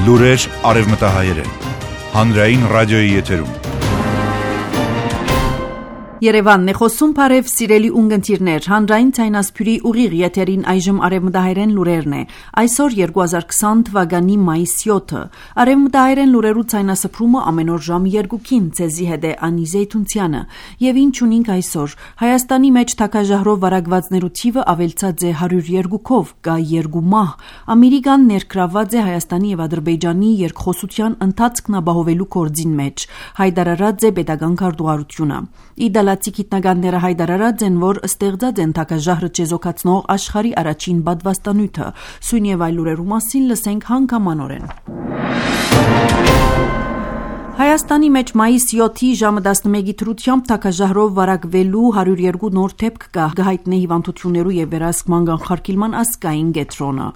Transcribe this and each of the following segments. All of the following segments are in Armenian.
Լուրեր արևմտահայերեն, հանրային ռադիոյի եթերում։ Երևանն է խոսում, բարև սիրելի ունգընտիրներ, հանրային ցայնասփյուրի ուղիղ եթերին այժմ արևմտահայերեն լուրերն է։ Այսօր 2020 թվականի մայիս 7-ը։ Արևմտահայերեն լուրերու ցայնասփրումը ամեն օր ժամը 2-ին ցեզի հետ է Անի Զեյթունցյանը։ Եվ ինչ ունենք այսօր։ Հայաստանի մեջ թակաժահրով վարակվածներու թիվը ավելցած է 102-ով, կա 2 մահ։ Ամերիկան ներգրավված է Հայաստանի եւ Ադրբեջանի երկխոսության ընթացքն ապահովելու գործին մեջ։ Հայտարարած է պետական քարտուղարությունը։ Իդալացի գիտնականները հայտարարած են, որ ստեղծած են թակաժահրը չեզոքացնող աշխարհի առաջին պատվաստանյութը։ Սույն եւ այլ լուրերու մասին լսենք հանգամանորեն։ Հայաստանի մեջ մայիս 7-ի ժամը 11-ի թրությամբ թակաժահրով վարակվելու 102 նոր դեպք կա, գահիտնե հիվանդություններու եւ վերահսկման կանխարգելման ազգային կենտրոնը։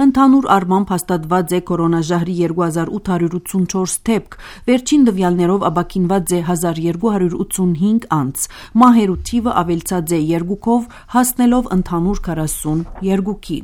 Ընդհանուր առմամբ հաստատված է կորոնաժահրի 2884 դեպք, վերջին տվյալներով ապաքինված է 1285 անց։ Մահերու թիվը ավելցած է 2-ով, հասնելով ընդհանուր 42-ի։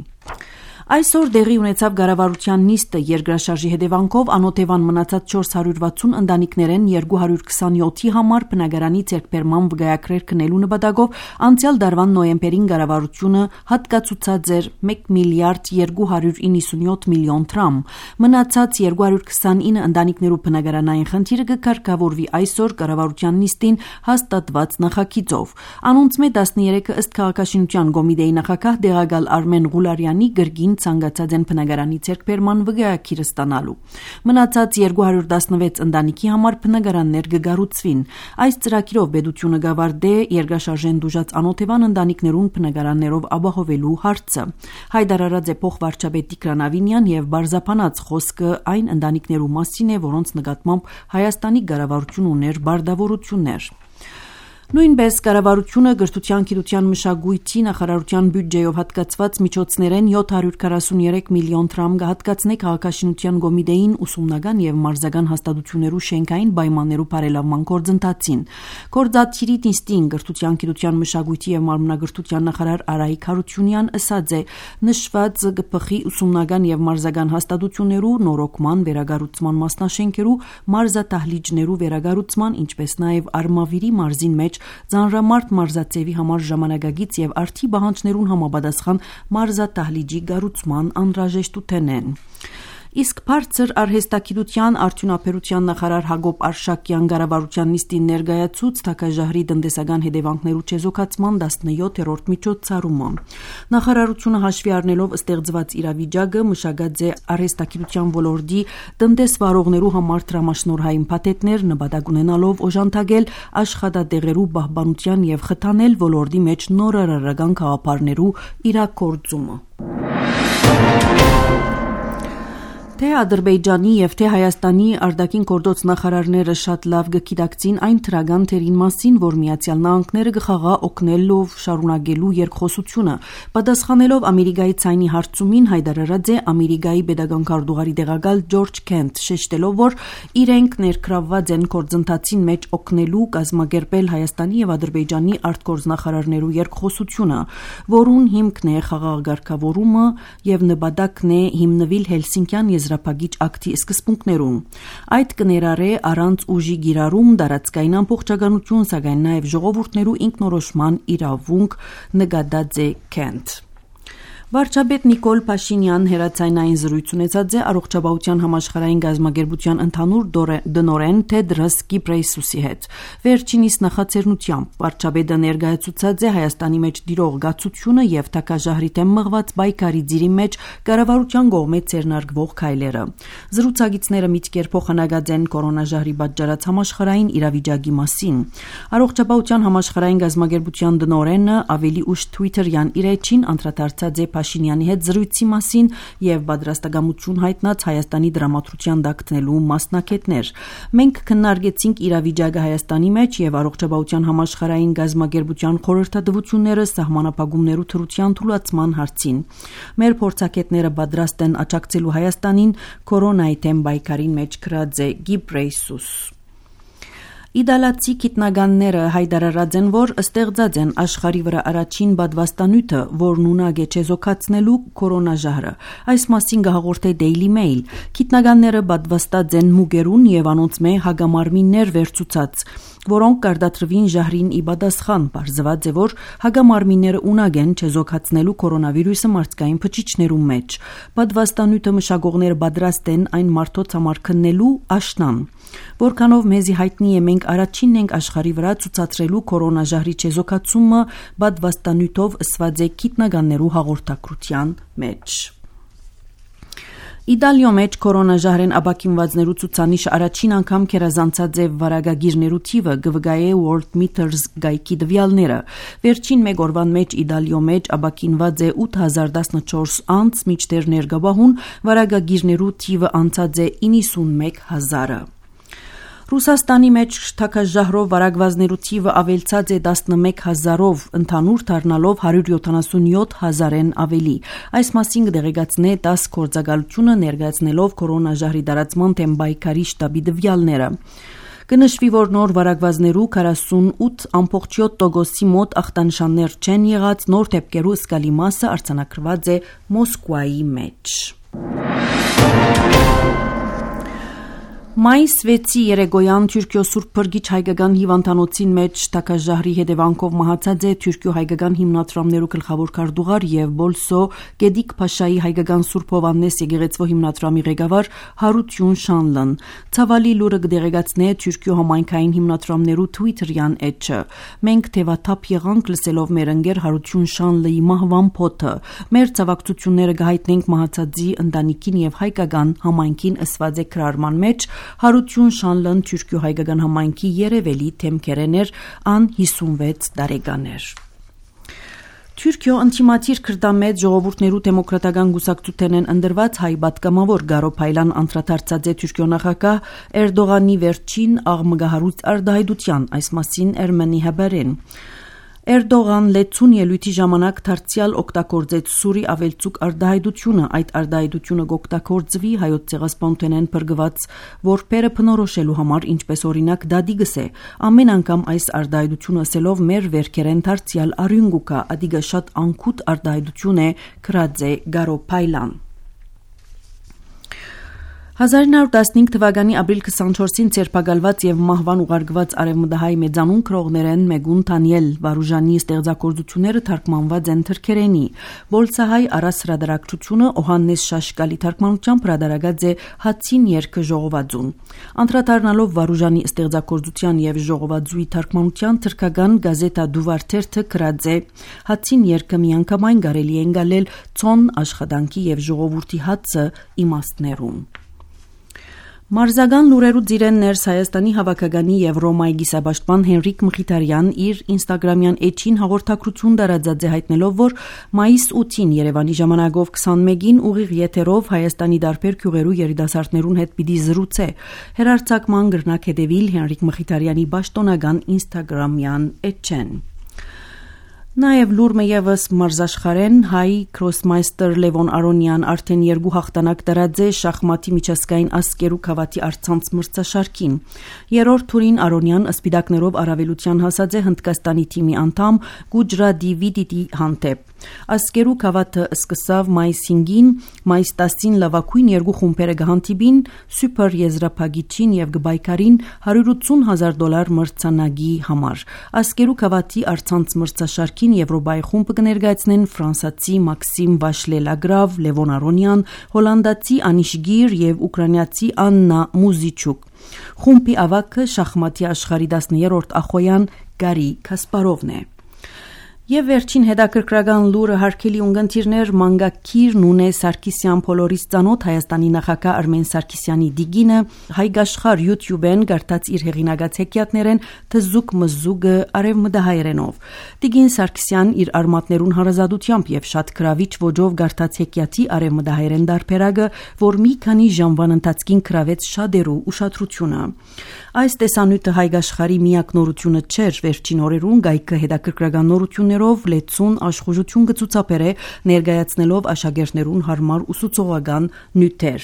Այսօր դեղի ունեցավ կառավարության նիստը երկրաշարժի հետևանքով անօթևան մնացած 460 ընտանիքներեն 227-ի համար բնակարանի ձեռքբերման վկայակրեր քննելու նպատակով անցյալ դարվան նոյեմբերին կառավարությունը հատկացուցած էր 1 միլիարդ 297 միլիոն դրամ։ Մնացած 229 ընտանիքներու բնակարանային խնդիրը կկարգավորվի այսօր կառավարության նիստին հաստատված նախագիծով։ Անոնցմե 13-ը ըստ քաղաքաշինության կոմիտեի նախագահ Դեղագալ Արմեն Ղուլարյանի գրգին ցանկացած են բնակարանի ձեռքբերման վկայակիրը ստանալու։ Մնացած 216 ընտանիքի համար բնակարաններ կգառուցվին։ Այս ծրագիրով պետությունը գավարդե երկրաշարժեն դուժած անօթևան ընտանիքներուն բնակարաններով ապահովելու հարցը։ Հայտարարած է փոխվարչապետ Տիգրան Ավինյան եւ բարձապանած խոսքը այն ընտանիքներու մասին է, որոնց նկատմամբ Հայաստանի կառավարությունը ուներ բարդավորություններ։ Նույնպես կառավարությունը գրթության, գիտության, մշակույթի նախարարության բյուջեով հատկացված միջոցներեն 743 միլիոն դրամ կհատկացնի քաղաքաշինության կոմիտեին ուսումնական եւ մարզական հաստատություններու շենքային պայմաններու բարելավման գործընթացին։ Գործադիրի նիստին գրթության, գիտության, մշակույթի եւ մարմնագրթության նախարար Արայիկ Հարությունյան ասաց է, նշված ԳՊԽ-ի ուսումնական եւ մարզական հաստատություններու նորոգման, վերագառուցման մասնաշենքերու, մարզատահլիճներու վերագառուցման, ինչպես նաեւ Արմավիրի մարզին մեջ Ձանրամարտ մարզացեվի համար ժամանակագից եւ արդի բանջներուն համապատասխան մարզատահլիճի կառուցման անհրաժեշտությունն են։ Իսկ բարձր արհեստագիտության արդյունաբերության նախարար Հակոբ Արշակյան կառավարության նիստին ներկայացուց թակաժահրի տնտեսական հետևանքներու չեզոքացման 17-րդ միջոցառումը։ Նախարարությունը հաշվի առնելով ստեղծված իրավիճակը մշակած է արհեստագիտության ոլորտի տնտեսվարողներու համար դրամաշնորհային փաթեթներ նպատակ ունենալով օժանդակել աշխատատեղերու պահպանության եւ խթանել ոլորտի մեջ նորարարական գաղափարներու իրագործումը։ Թե Ադրբեջանի եւ թե Հայաստանի արտաքին գործոց նախարարները շատ լավ գիտակցին այն թրագան թերին մասին, որ Միացյալ Նահանգները կխաղա օգնելով շարունակելու երկխոսությունը, պատասխանելով Ամերիկայի ցայնի հարցումին հայտարարած է Ամերիկայի պետական քարտուղարի տեղակալ Ջորջ Քենթ, շեշտելով, որ իրենք ներգրավված են գործընթացին մեջ օգնելու կազմակերպել Հայաստանի եւ Ադրբեջանի արտգործնախարարներու երկխոսությունը, որուն հիմքն է խաղաղագործավորումը եւ նպատակն է հիմնվել Հելսինկյան Եզրափակիչ ակտի սկզբունքներում։ Այդ կներառե առանց ուժի գիրառում, տարածքային ամբողջականություն, սակայն նաև ժողովուրդներու ինքնորոշման իրավունք, նկատած է Քենթ։ Վարչապետ Նիկոլ Փաշինյան հերացայնային զրույց ունեցած է առողջապահության համաշխարհային գազམ་ագերբության ընդհանուր դնորեն Թեդրոս Գիբրեյսուսի հետ։ Վերջինիս նախաձեռնությամբ վարչապետը ներկայացուցած է Հայաստանի մեջ դիրող գացությունը եւ թակաժահրի դեմ մղված պայքարի ծիրի մեջ կառավարության կողմից ձեռնարկվող քայլերը։ Զրուցակիցները միտքեր փոխանակած են կորոնաժահրի պատճառած համաշխարհային իրավիճակի մասին։ Առողջապահության համաշխարհային գազམ་ագերբության դնորենը ավելի ուշ Twitter-յան իր էջին անդրադարձած է Փաշինյանի հետ զրույցի մասին եւ պատրաստակամություն հայտնած Հայաստանի դրամատրության դակտնելու մասնակետներ։ Մենք քննարկեցինք իրավիճակը Հայաստանի մեջ եւ առողջապահության համաշխարհային գազམ་ագերբության խորհրդատվությունները սահմանափակումներու թրության թույլատման հարցին։ Մեր փորձակետները պատրաստ են աջակցելու Հայաստանին կորոնայի դեմ պայքարին մեջ գրած է Գիբրեյսուս։ Իտալացի գիտնականները հայտարարած են, որ ստեղծած են աշխարհի վրա առաջին բադվաստանյութը, որն ունակ է չեզոքացնելու կորոնաժահրը։ Այս մասին գահաղորդե Daily Mail։ Գիտնականները բադվաստած են մուգերուն եւ անոնց մե հագամարմիններ վերցուցած, որոնք կարտադրվին ժահրին ի պատասխան։ Պարզված է, որ հագամարմինները ունակ են չեզոքացնելու կորոնավիրուսը մարդկային փչիչներու մեջ։ Բադվաստանյութը մշակողները պատրաստ են այն մարդոց համար քննելու աշնան։ Որքանով մեզի հայտնի է, մենք առաջինն ենք աշխարհի վրա ցուցադրելու կորոնաժահրի չեզոքացումը բադվաստանյութով ըսված է գիտնականներու հաղորդակցության մեջ։ Իտալիո մեջ կորոնաժահրեն ապակինվածներու ցուցանիշը առաջին անգամ քերազանցած է վարակագիրներու թիվը, գվգայե Worldmeters գայքի դվյալները։ Վերջին մեկ օրվան մեջ Իտալիո մեջ ապակինված է 8014 անց, մինչդեռ ներգաբահուն վարակագիրներու թիվը անցած է 91000-ը։ Ռուսաստանի մեջ թակաժահրով վարակվածներու թիվը ավելցած է 11000-ով, ընդհանուր դառնալով 177,000-ն ավելի։ Այս մասին կդեղեկացնե 10 գործակալությունը ներկայացնելով կորոնաժահրի տարածման թեմ պայքարի շտաբի դվյալները։ Կնշվի, որ նոր վարակվածներու 48.7%-ի մոտ ախտանշաններ չեն եղած, նոր դեպքերու զգալի մասը արձանագրված է Մոսկվայի մեջ։ Մայիս 6-ի երեկոյան Թուրքիո Սուրբ Փրկիչ հայկական հիվանդանոցին մեջ թակաժահրի հետևանքով մահացած է Թուրքիո հայկական հիմնադրամներու գլխավոր քարտուղար եւ Բոլսո Գեդիկ Փաշայի հայկական Սուրբ Հովաննես եկեղեցվո հիմնադրամի ղեկավար Հարություն Շանլան։ Ցավալի լուրը կդեղեկացնե Թուրքիո համայնքային հիմնադրամներու Twitter-յան էջը։ Մենք թևաթափ եղանք լսելով մեր ընկեր Հարություն Շանլեի մահվան փոթը։ Մեր ցավակցությունները կհայտնենք մահացածի ընտանիքին եւ հայկական համայնքին ըսված է քրարման մեջ։ Հարություն Շանլան Թուրքիո հայկական համայնքի երևելի թեմքերներ ան 56 տարեկաներ։ Թուրքիո ընդդիմադիր քրդամետ ժողովուրդներու դեմոկրատական գուսակցութենեն ընդրված հայ պատգամավոր Գարո Փայլան անդրադարձած է Թուրքիո նախագահ Էրդողանի վերջին աղմկահարույց արտահայտության, այս մասին Ermeni Haber-ին։ Էրդողան լեցուն ելույթի ժամանակ դարձյալ օգտագործեց սուրի ավելցուկ արտահայտությունը, այդ արտահայտությունը կօգտագործվի հայոց ցեղասպանութենեն բրգված որբերը բնորոշելու համար, ինչպես օրինակ դադիգս է։ Ամեն անգամ այս արտահայտությունը ասելով մեր վերքերեն դարձյալ արյունգուկա, ադիգա շատ անկուտ արտահայտություն է, գրած է Գարո Փայլան։ 1915 թվականի ապրիլ 24-ին ցերպակալված եւ մահվան ուղարկված արևմտահայ մեծանուն քրողներեն Մեգուն Դանիել Վարուժանի ստեղծագործությունները թարգմանված են թրքերենի։ Բոլցահայ առասրադարակցությունը Օհաննես Շաշկալի թարգմանությամբ հրադարագած է Հացին երգը ժողովածուն։ Անդրադառնալով Վարուժանի ստեղծագործության եւ ժողովածուի թարգմանության թրքական գազետա Դուվարտերթը գրած է. Հացին երգը միանգամայն կարելի է ընկալել ցոն աշխատանքի եւ ժողովրդի հացը իմաստներում։ Մարզական լուրերու ծիրեն ներս Հայաստանի հավաքականի եւ Ռոմայի գիսաբաշխման Հենրիկ Մխիթարյան իր ինստագրամյան էջին հաղորդակցություն տարածած է հայտնելով, որ մայիս 8-ին Երևանի ժամանակով 21-ին ուղիղ եթերով Հայաստանի դարբեր գյուղերու երիտասարդներուն հետ պիտի զրուցե։ Հերարցակման գրնակ հետևիլ Հենրիկ Մխիթարյանի պաշտոնական ինստագրամյան էջեն։ Նաև լուրը եւս մարզաշխարեն հայ քրոսմայստեր Լևոն Արոնյան արդեն 2 հաղթանակ տարած է շախմատի միջազգային ասկերու քավաթի առցանց մրցաշարքին։ Երրորդ թուրին Արոնյան սպիտակներով առավելության հասած է Հնդկաստանի թիմի անդամ Գուջրադի Վիդիտի հանդեպ։ Ասկերու քավաթը սկսավ մայիս 5-ին, մայիս 10-ին լավագույն 2 խումբերը կհանդիպին սուպեր եզրափակիչին եւ գբայքարին $180,000 մրցանակի համար։ Ասկերու քավաթի առցանց մրցաշարքի Եվրոպայի խումբը կներկայացնեն ֆրանսացի Մաքսիմ Վաշլելագրավ, Լևոն Արոնյան, հոլանդացի Անիշ Գիր եւ ուկրաինացի Աննա Մուզիչուկ։ Խումբի ավակը շախմատի աշխարհի 10-րդ ախոյան Գարի Կասպարովն է։ Եվ վերջին հետաքրքրական լուրը հարկելի ունգընտիրներ մանգակիր Նունե Սարգսյան փոլորից ծանոթ Հայաստանի նախագահ Արմեն Սարգսյանի դիգինը հայգաշխար YouTube-են գարտած իր հեղինակած հեքիաթներեն թզուկ մզուգը արևմտահայերենով։ Դիգին Սարգսյան իր արմատներուն հարազատությամբ եւ շատ գրավիչ ոճով գարտած հեքիաթի արևմտահայերեն դարբերակը, որ մի քանի ժամվան ընթացքին գրավեց շատերու ուշադրությունը։ Այս տեսանյութը հայգաշխարի միակ նորությունը չէր, վերջին օրերուն գայքը հետաքրքրական նորություններ գիտելիքներով լեցուն աշխուժություն կցուցաբերե ներկայացնելով աշակերտներուն հարմար ուսուցողական նյութեր։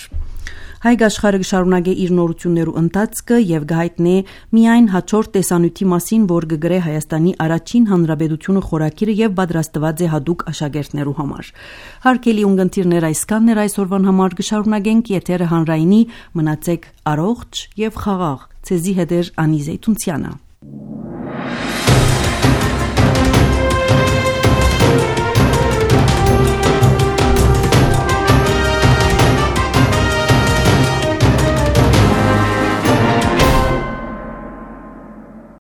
Հայք աշխարհը կշարունակե իր նորություններու ընթացքը եւ կհայտնե միայն հաջորդ տեսանյութի մասին, որ կգրե Հայաստանի առաջին հանրապետությունը խորագիրը եւ պատրաստված է հատուկ աշակերտներու համար։ Հարգելի ունկնդիրներ, այսքանն էր այսօրվան համար, կշարունակենք եթերը հանրայինի, մնացեք առողջ եւ խաղաղ։ Ցեզի հետ է Անի Զեյթունցյանը։